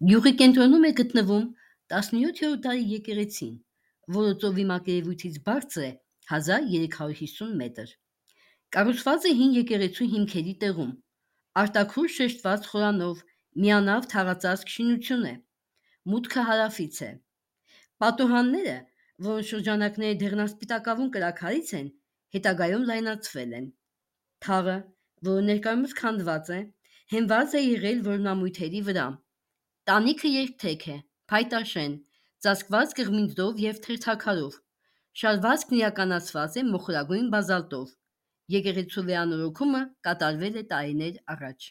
Գյուղի կենտրոնում է գտնվում 17-րդ դարի եկեղեցին, որը ծովի մակերևույթից բարձր է 1350 մետր։ Կառուցված է հին եկեղեցու հիմքերի տեղում, արտաքուր շեշտված խորանով միանավ թաղածածկ շինություն է, մուտքը հարավից է։ Պատուհանները, որոնց շրջանակները դեղնասպիտակավուն կրաքարից են, հետագայում լայնացվել են։ Թաղը, որը ներկայումս քանդված է, հենված է եղել որմնամույթերի վրա։ Տանիքը երկթեք է, փայտաշեն, ծածկված կղմինդով և թերթաքարով։ Շարվածքն իրականացված է մոխրագույն բազալտով։ Եկեղեցու վերանորոգումը կատարվել է տարիներ առաջ։